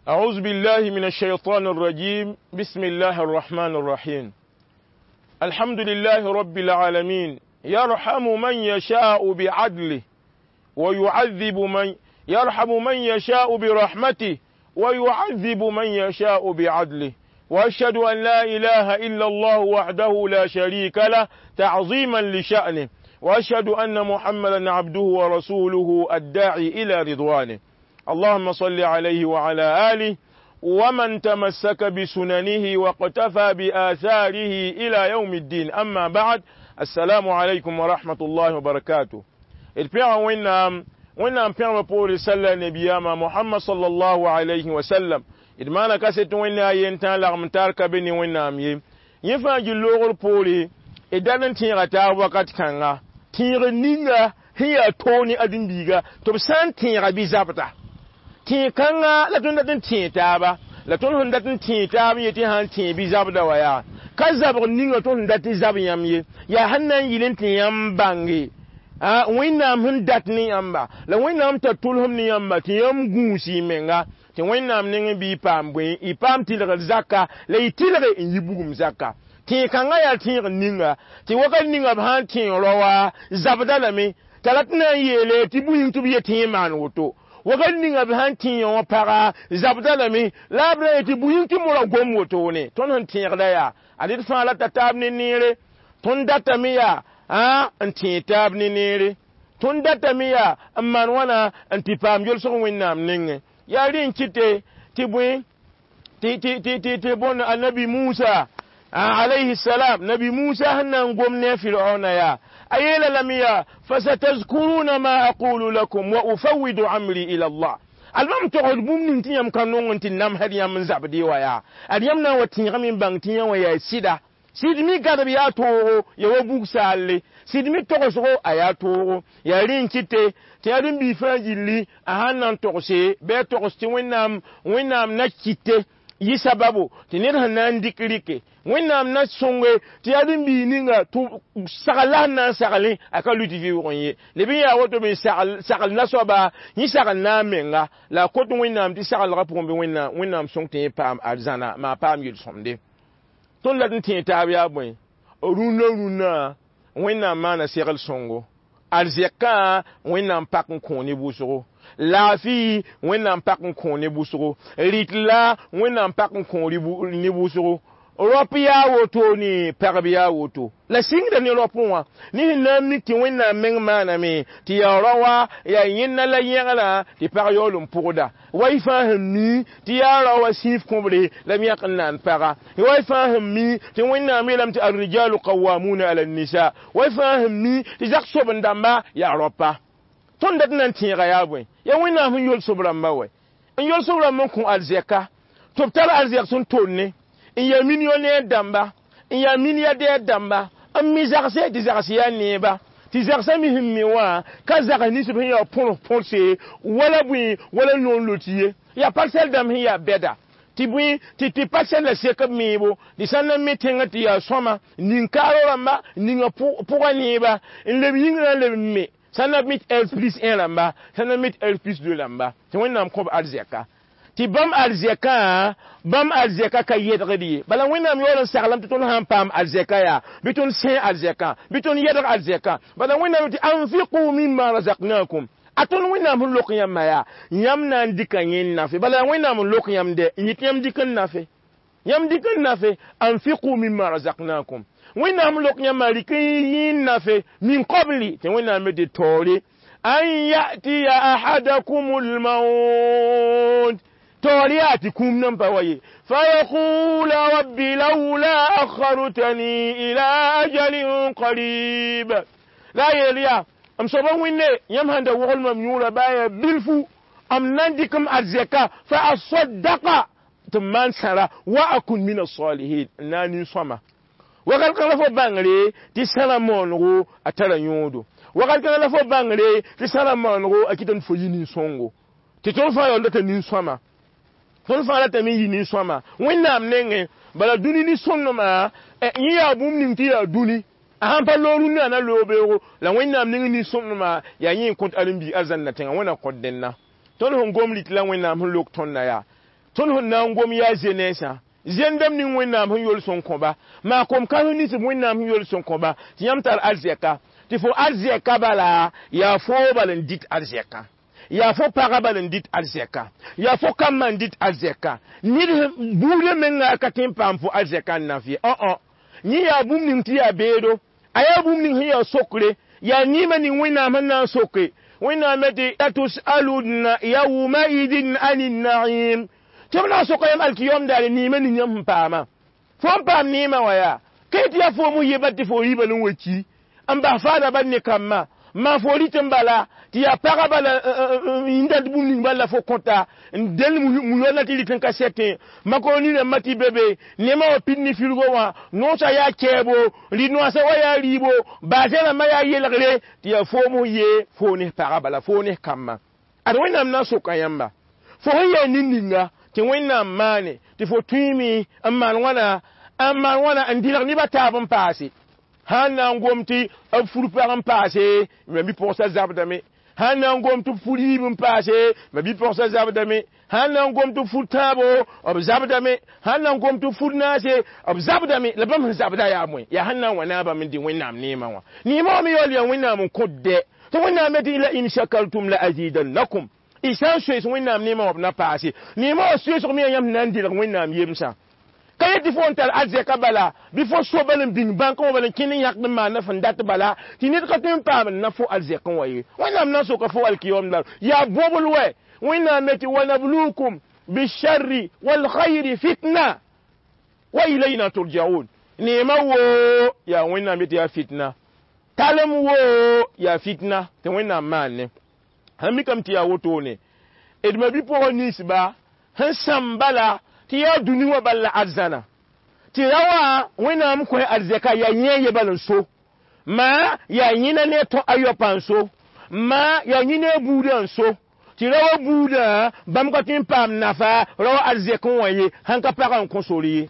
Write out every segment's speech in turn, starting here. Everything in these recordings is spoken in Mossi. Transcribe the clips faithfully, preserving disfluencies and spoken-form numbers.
أعوذ بالله من الشيطان الرجيم بسم الله الرحمن الرحيم الحمد لله رب العالمين يرحم من يشاء بعدله ويعذب من يرحم من يشاء برحمته ويعذب من يشاء بعدله واشهد ان لا اله الا الله وحده لا شريك له تعظيما لشانه واشهد ان محمدا عبده ورسوله الداعي الى رضوانه اللهم صل عليه وعلى اله ومن تمسك بسننه واقتفى باثاره الى يوم الدين اما بعد السلام عليكم ورحمه الله وبركاته d pẽga wẽnnaam wẽnnaam pẽgbã poore salla nebiyama mohamad sallallahu alayhi wa sallam d maana kaset wẽnna a yen tã lagm tar ka be ne wẽnnaam ye yẽ fãa gil loogr poore d dat n tẽega taab wakat kãnga tẽegr ninga sẽn yaa toog ne ãdem-biiga tɩ b sã n tẽega bɩ zabda tẽeg kãnga la tõnd dat n tẽeg taaba la tõnd sẽn dat n tẽeg taab n yetɩ sã n tẽeg bɩ zabda wa yaa ka zabg ninga tõnd sẽn dat tɩ zab yãmb ye yaa sẽn na n yɩl n tɩ yãmb bãnge wẽnnaam sẽn dat ne yãmba la wẽnnaam tar tʋlsem ne yãmba tɩ yãmb gũus y menga tɩ wẽnnaam nengẽ bɩ y paam bõe y paam tɩlgr zaka la y tɩlge n yi bugum zaka tẽeg kãngã yaa tẽegr ninga tɩ wakat ninga b sã n tẽeg raoa zabda lame t'a rat na n yeele tɩ bũying tɩ b yet tɩ yẽ maan woto wakat ninga b sã n tẽeg wã paga zabda lame la b ra yetɩ bũying tɩ mora gom wotone tõnd sẽn tẽegda yaa ad d fãa la ta taab ne neere tõnd datame yaa n tẽeg taab ne neere tõnd datame yaa n maan wãna n tɩ paam yolsg wẽnnaam nengẽ yaa rẽ n kɩte tɩ bõe tɩ tɩ tɩ tɩ bõn annabi musa alayhi salam nabi musa sẽn na n gom ne a firaona yaa a yeela lame yaa fasatazkuruna ma aqulu lakum wa ufawidu amri ila allah albam togsd bũmb ning tɩ yãmb ka nong n tɩ namsd yãmb n zabd wa yaa ad yãmb na n wa tẽegame n bãng tɩ yã wã yaa sɩda sɩd mi gadb yaa toogo ya wa bug saalle sɩd mi togsgo a yaa toogo yaa rẽ n kɩte tɩ yaa rẽn-bii fãa gilli a sãn na n togse bɩ a togs tɩ wẽnnaam wẽnnaam na kɩte yɩ sababu tɩ ned sẽn na n dɩk rɩke wẽnnaam na sõnge tɩ yaa rẽn-bii ninga tɩ sagl la sẽn na n saglẽ a ka lʋɩ tɩ vɩʋʋg n ye leb n yaa woto me sagl na-soaba yẽ sagl na a menga la a kot wẽnnaam tɩ saglgã pʋgẽ bɩ wẽnnaam wẽnnaam sõng tɩ yẽ paam arzãna maa paam yel-sõmde tõnd la n tẽeg taab yaa bõe rũnnã rũnnã wẽnnaam maana segl sõngo arzɛkã wẽnnaam pak n kõ ne wʋsgo laafɩ wẽnnaam pak n kõ ne wʋsgo rɩt-la wẽnnaam pak n kõ ne wʋsgo rop yaa woto ne pagb yaa woto la sɩngda ne rop wã ne sẽn na n mik tɩ wẽnnaam meng maaname tɩ yaa raoa yaa yẽnna la yẽgrã tɩ pag yaool n pʋgda wa y fãa sẽn mi tɩ yaa raoa sĩif kõbre la m yãk n na n paga wa y fãa sẽn mi tɩ wẽnnaam yeelame tɩ arrijalu qawamuna ala nisa wa y fãa sẽn mi tɩ zak soben-dãmba yaa raopa tõnd dat n na n tẽega yaa bõe yaa wẽnnaam sẽn yol sob-rãmba wɛ n yol sob-rãmb n kõ arzɛka tɩ b tar arzɛk sẽn tonne n yaa millionnaire dãmba n yaa milliardaire dãmba n mi zagse tɩ zags yaa neeba tɩ zagsã mi sẽn mi wã ka zags nins b sẽn yaa põrs põrse wala bõe wala noor lot ye yaa parcelle dãmb sẽn yaa bɛda tɩ bõe tɩ tɩ parcelle la sek b meebo tɩ sã n na n me tẽngã tɩ yaa sõma nin-kaaro rãmba ninga pʋgã neeba n leb yĩngrã n leb n me sã n na mit R plus un rãmba sã n na mit R plus deux rãmba tɩ wẽnnaam kõ b arzɛka tɩ bãmb arzɛkã bãmb arzɛka ka yɛdgd ye bala wẽnnaam yaool n saglame tɩ tõnd sã n paam arzɛka yaa bɩ tõnd sẽ arzɛkã bɩ tõnd yɛdg arzɛkã bala wẽnnaam tɩ anfiqu mimma razaqnakum a tõnd wẽnnaam sẽn lok yãmba yaa yãmb na n dɩka yẽ n nafe bala wẽnnaam n lok yãmb dɛ n yet yãmb dɩk n nafe yãmb dɩk n nafe anfiqu mimma razaqnakum wẽnnaam lok yãmba rɩk n yẽ n nafe min qabli tɩ wẽnnaam me tɩ taoore an yatiya ahadakum lmaut taoor yaa tɩ kũum nan pa wa ye fayaqula rabbi laula akhartani ila ajalin qarib la yeel yaa m soaba wẽnne yãmb sãn da wogl mam yũurã baa yaa bilfu m na n dɩk m arzɛka fa asaddaqa tɩ m maan sãra wa akun min asalihin n na n nin-sõma wakat kãng la fo bãngre tɩ sãra moonego a tara yõodo wakat kãng la fo bãngre tɩ sãra moonego a kɩtame tɩ fo yɩ nin-sõngo tɩ tõnd fãa yaool data nin-sõma tõnd fãa ratame n yɩ nin-sõma wẽnnaam nengẽ bala dũni nin-sõmdmã yẽ yaa bũmb ning tɩ yaa dũni a sãn pa loog rũnnã na loog beoogo la wẽnnaam nengẽ nin-sõmdmã yaa yẽ n kõt ãdem-biig arzãnna tẽngã wẽna kõt dẽnna tõnd sẽn gom rɩt la wẽnnaam sẽn lok tõndã yaa Tõnd sẽn na n gom yaa zenɛɛsã zẽndame ning Wẽnnaam sẽn yols n kõba maa kom-kãs nins b Wẽnnaam sẽn yols n kõba tɩ yãmb tar arzɛka tɩ fo arzɛka bala yaa foo bal n dɩt arzɛka yaa fo pagã bal n dɩt arzɛka yaa fo kambã n dɩt arzɛka ned buudã menga ka tõe n paam fo arzɛka n naf ye õ-õ yẽ yaa bũmb ning tɩ yaa beedo a yaa bũmb ning sẽn yaa sokre yaa neemã ning Wẽnnaam sẽn na n soke Wẽnnaam tɩ latusalunna yawmaidin ani naim tɩ b na n soka yãmb alkiyom daare neemã ning yãmb sẽn paama fo n paam neemã wã yaa ka tɩ yaa foom yeba tɩ fo rɩɩba n wa ki n bas faada bal ne kambã maa fo rɩt n bala tɩ yaa pagã bala n dat bũmb ning bal la fo kõta n del mu-yoal tɩ rɩt n ka sɛtẽ makaroni rãmbã tɩ be be nemã wã pid ne firgo wã noosã yaa kɛɛbo rɩ-noasã wa yaa rɩɩbo baasẽ rãmbã yaa yelgre tɩ yaa foom ye fo ne pagã bala fo ne kambã ad Wẽnnaam na n soka yãmba fo sẽn yaa nin-ninga tɩ Wẽnnaam maane tɩ fo tõeme n maan wãna n maan wãna n dɩlg nebã taab n paase sãn na n gom tɩ b fur pag n paase ma bi-pʋgsã zabdame sãn na n gom tɩ b fur yiib n paase ma bi-pʋgsã zabdame sãn na n gom tɩ b fur tãabo b zabdame sãn na n gom tɩ b fur naase b zabdame la bãmb sẽn zabda yaa bõe yaa sẽn na n wa naabã n dɩ Wẽnnaam neemã wã neemã wã me yaool yaa Wẽnnaam n kõt dɛ tɩ Wẽnnaam tɩ la in shakartum la azidannakum y sã n soees Wẽnnaam neemã wã b na paase neemã wã soeesg me yaa yãmb sẽn na n dɩlg Wẽnnaam yemsã ka yetɩ fo n tar arzɛka bala bɩ fo so bal n bĩng bãnkã wã bal n kẽnd n yãkd n maanda fẽn dat bala tɩ ned ka tõe n paam n na fo arzɛkẽ wã ye Wẽnnaam na n soka fo alkiyom dar yaa bobl wɛ Wẽnnaam me tɩ wanablukum bisharri walkhayri fitna wa ilayna turjaun neemã woo yaa Wẽnnaam yetɩ yaa fitna talem woo yaa fitna tɩ Wẽnnaam maanne sãn mikame tɩ yaa wotone d ma bi-pʋgã ninsba sẽn sãm bala tɩ yaa dũni wã bal la arzãna tɩ ra wã Wẽnnaam kõ arzɛka yaa yẽ ye bal n so maa yaa yẽna ne tõ a yoapã n so maa yaa yẽ ne a buudã n so tɩ ra wa buudã bãmb ka tõe n paam nafa ra wa arzɛkẽ wã ye sãn ka pagã n kõ sore ye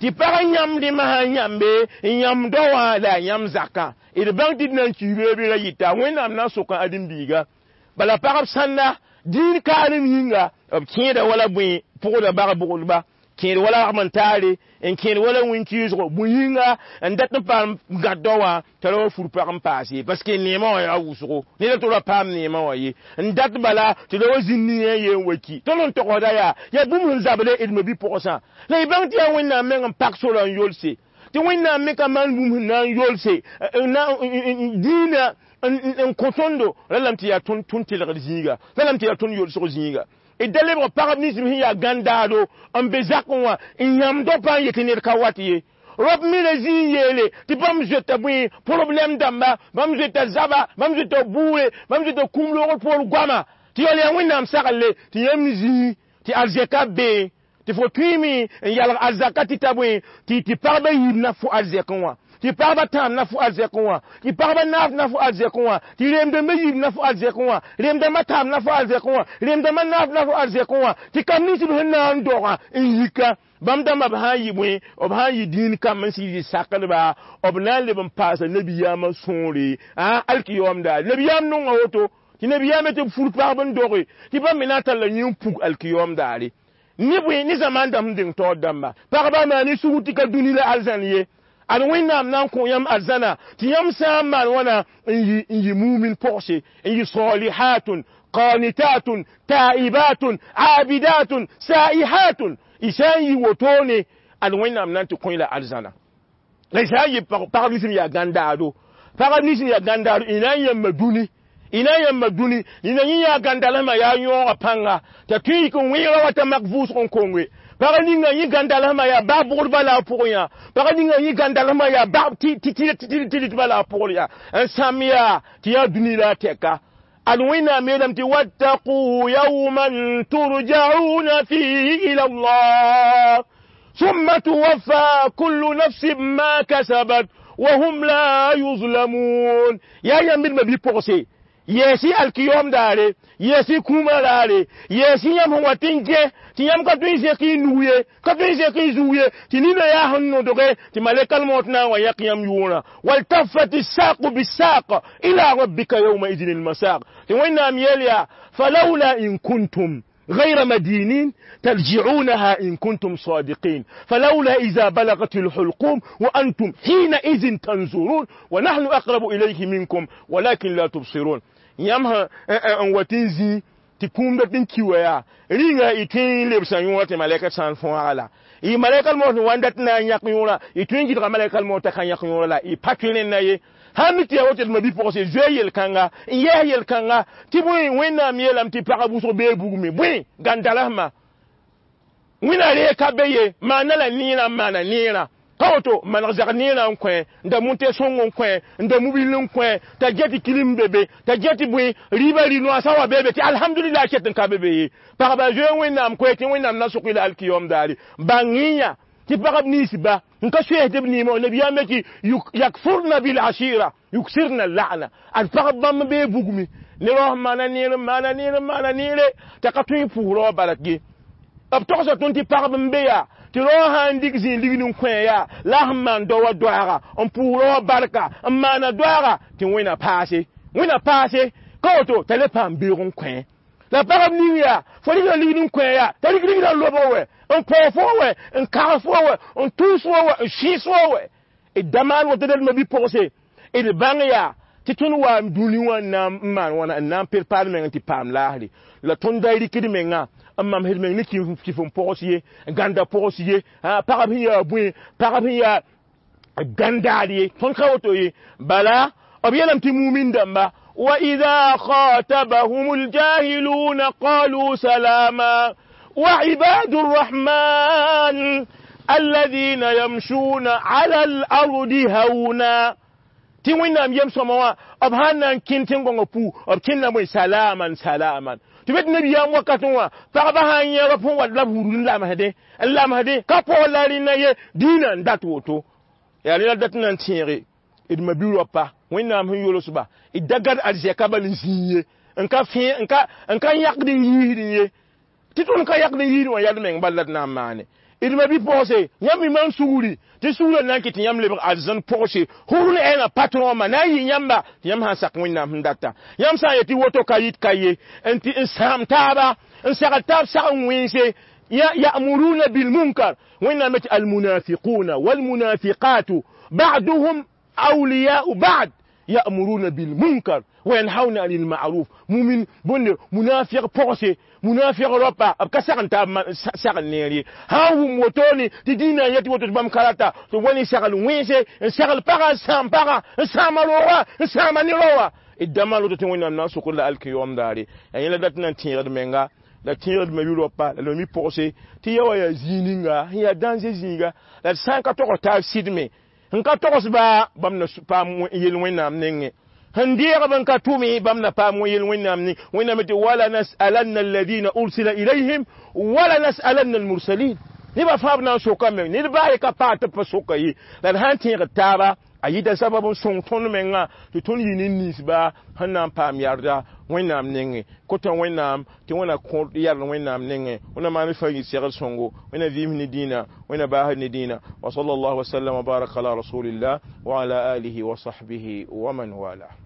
tɩ pag n yãmb rẽmã sã n yãmbe n yãmb dao wã la a yãmb zakã d bãng tɩ d na n kiibe bɩ ra yɩta Wẽnnaam na n soka ãdem-biiga bala pagb sãnda dĩin kaarem yĩnga b kẽeda wala bõe pʋgda bag-bʋgdba kẽed wala ragm n taare n kẽed wala wĩn-kɩɩsgo bũn yĩnga n dat n paam gãd dao wã t'a ra wa fur pag n paase parce que neemã wã yaa wʋsgo ned tɩ ra paam neemã wã ye n dat bala tɩ ra wa zĩnd ne yẽ ye n wa ki tõnd n togsda yaa yaa bũmb sẽn zable d ma bi-pʋgsã la y bãng tɩ yaa Wẽnnaam meng n pak sorã n yolse tɩ Wẽnnaam me ka maan bũmb sẽn na n yolse dĩinã n kõ tõndo ra lame tɩ yaa tõnd telgd zĩiga ra lame tɩ yaa tõnd yolsg zĩiga d da lebg pagb nins sẽn yaa gãndaado n be zakẽ wã n yãmb dopã n yetɩ ned ka wat ye rop me ra zĩ n yeele tɩ bãmb zoeta bõe problɛm dãmba bãmb zoeta zaba bãmb zoeta buure bãmb zoeta kũum loogr poor goama tɩ yaool yaa Wẽnnaam saglle tɩ yãmb zĩ tɩ arzɛka bee tɩ fo tõeme n yalg arzaka tɩ ta bõe tɩ tɩ pagba yiib na fo arzɛkẽ wã tɩ pagba tãam na fo arzɛkẽ wã tɩ pagba naaf na fo arzɛkẽ wã tɩ reem-dãmbã yiib na fo arzɛkẽ wã reem-dãmbã tãam na fo arzɛkẽ wã reem-dãmbã naaf na fo arzɛkẽ wã tɩ kam nins b sẽn na n dogã n yika bãmb dãmbã b sã n yɩ bõe b sã n yɩ dĩin kamb n sɩd yɩ sakdba b na n leb n paasa nabiyaamã sõore alkiyaoom daare nabiyaam nonga woto tɩ nabiyaamã tɩ b fur pagb n doge tɩ bãmb me na n talla yẽ n pug alkiyaoom daare ne bõe ne zamaan dãmb sẽn deng taoor dãmba pagba maan sugr tɩ ka dũni la arzãn ye ad Wẽnnaam na n kõ yãmb arzãna tɩ yãmb sã n maan wãna n yɩ n yɩ mumin pɔgse n yɩ salihatun qanitatun taibatun abidatun saihatun y sã n yɩ wotone ad Wẽnnaam na n tɩ kõ la arzãna la y sã n yɩ pagb nins yaa gãndaado pagb nins yaa gãndaado y na n yãmba dũni y na n yãmba dũni nina yẽ yaa gãndalsmã yaa yõoga pãnga t'a tõe n yik n wẽega wa t'a mak vʋʋsg n konge pag ninga yẽ gãndalsmã yaa bag bʋgdbã la a pʋgẽ yã pag ninga yẽ gãndalsmã yaa bag tɩ la a pʋgr yaa n sãm yaa tɩ yaa dũni la a tɛka ad Wẽnnaam yeelame tɩ wattaqu yawman turjauna fihi ila Allah ثم توفى كل نفس ما كسبت وهم لا يظلمون يا يمir ma bi pɔgse yɛɛsɩ alkiyom daare yɛɛsɩ kũumã raare yɛɛsɩ yãmb sẽn wa tɩ n gẽ tɩ yãmb ka tõe n zẽk y nug ye ka tõe n zẽk y zug ye tɩ nina yaa sẽn nodge tɩ malɛkal maot na n wa yãk yãmb yʋʋrã waltafat الساق بالساق إلى ربك يومئذ المساق tɩ Wẽnnaam yeel yaa falawla in kuntum غير مدينين ترجعونها إن كنتم صادقين فلولا إذا بلغت الحلقوم وأنتم حينئذ تنظرون ونحن أقرب إليه منكم ولكن لا تبصرون. Yãmb n wa tɩ n zĩ tɩ kũum dat n ki wa yaa rĩnga y tõe n lebsã yõora tɩ malɛka sã n fõaga la y malɛka mos n wa n dat na n yãk yõora y tõe n gɩdga malɛka mos t'a ka yãk yõora la y pa tõe rẽnda ye. Sãn mi tɩ yaa woto d ma-bi-pʋgse zoe yel-kãnga n yɛs yel-kãnga tɩ bõe Wẽnnaam yeelame tɩ pagã wʋsg bee bugme bõe gãn-dalasmã wẽna reeg ka be ye maana la neerã n maana neerã ka woto maneg zag neerã n kõ n da mʋte sõng n kõ n da mobil n kõ t'a get tɩ kilim be be t'a get tɩ bõe rɩɩbã rɩ-noaasã wa be be tɩ alhamdulillah ket n ka be be ye. Pagba zoe Wẽnnaam koɛ tɩ Wẽnnaam na sok-y la alkiyom daare bãng-y tɩ pagb nins ba n ka soɛɛsd b neema nabiyaam tɩ yakfurna bil ashira yuksirna la'na ad pagb bãmb bee bugme ne rao sẽn maana neer n maana neer n maana neere t'a ka tõe n pʋʋs rao barak ye. B togsa tõnd tɩ pagb n be yaa tɩ rao sã n dɩk zĩig ligd n kõ yaa la sẽn maan dao wa doaaga n pʋʋs rao barka n maana doaaga tɩ wẽna paase wẽna paase ka woto t'a le paam beoog n kõ la pagb ning yaa fo rɩkda ligd n kõ yaa t'a rɩk rigdã n lobg wɛ n paoog fo wɛ n kag fo wɛ n tʋʋs fo wɛ n sɩɩs fo wɛ d da maan woto d ma-bi-pʋgse d bãng yaa tɩ tõnd wa dũni wã n na n maan wãna n na n prepar meng tɩ paam laasre la tõnd da rɩkd menga n mamsd meng ne kɩf n pogs ye gãnda pogs ye pagb sẽn yaa bõe pagb sẽn yaa gãndaad ye tõnd ka woto ye bala b yeelame tɩ mumin dãmba وإذا خاطبهم الجاهلون قالوا سلاما وعباد الرحمن الذين يمشون على الأرض هونا tɩ Wẽnnaam yem sõma wã b sãn na n kẽn tẽn-gõngã pu b kẽnda bõe salaman salaman tɩ be tɩ nabiyaam wakatẽ wã pagba sã n yẽ b sẽn wat la b wurd n lamsdẽ n lamsdẽ ka paoog la rẽnna ye dĩinã n dat woto yaa rẽ la dat n na n tẽege d ma-bi-raopa Wẽnnaam sẽn yolsba d da gad arzɛka bal n zĩig ye n ka fẽ n ka n ka yãkd n yiisd ye tɩ tõnd ka yãkd n yiisd wã yad meng bal la d na n maane d ma-bi-pʋgse yãmb mi maan sugri tɩ sugrã na n kɩ tɩ yãmb lebg arzãn pʋgse hurn ɛɛna patron ma na n yɩ yãmba tɩ yãmb sã n sak Wẽnnaam sẽn data yãmb sã n yet tɩ woto ka yit ka ye n tɩ n sãam taaba n sagl taab sag n wẽnse ya'muruna bilmunkar Wẽnnaam tɩ almunafiquna walmunafiqatu ba'duhum awliya'u ba'd يأمرون بالمنكر وينهون عن المعروف مؤمن بند منافق بوسي منافق ربا اب كسغن تا سغن نيري ها هم وتوني تدينا يتي وتو بام كاراتا تو وني سغل وينسي سغل باغا سام باغا سام روا سام نيروا idama lo to wẽnnaam na n sokd la alkiyom daare yaa yẽla dat n na n tẽegd menga la tẽegd ma yʋ-raopa la mi pʋgse tɩ ya wa yaa zĩig ninga sẽn yaa dãnze zĩiga la d sã n ka togs taab sɩdme n ka togsba bãmb na paam yel Wẽnnaam nengẽ sẽn deegb n ka tʋme bãmb na paam yel Wẽnnaam neng Wẽnnaam tɩ wala nasalanna alladina ursila ilayhim wala nasalanna almursalin nebã fãa b na n sokame ned baa ye ka paag tɩ b pa soka ye la d sã n tẽegd taaba a yɩta sabab n sõng tõnd menga tɩ tõnd yɩ nin-ninsba sẽn na n paam yarda Wẽnnaam nengẽ kota Wẽnnaam tɩ Wẽnna kõ yard Wẽnnaam nengẽ Wẽnna maan fa yɩ segl sõngo Wẽnna vɩɩm ne dĩinã Wẽnna baasd ne dĩinã wa sallallahu wa sallam wa baraka ala rasulillah wa ala alihi wa sahbihi wa man wala.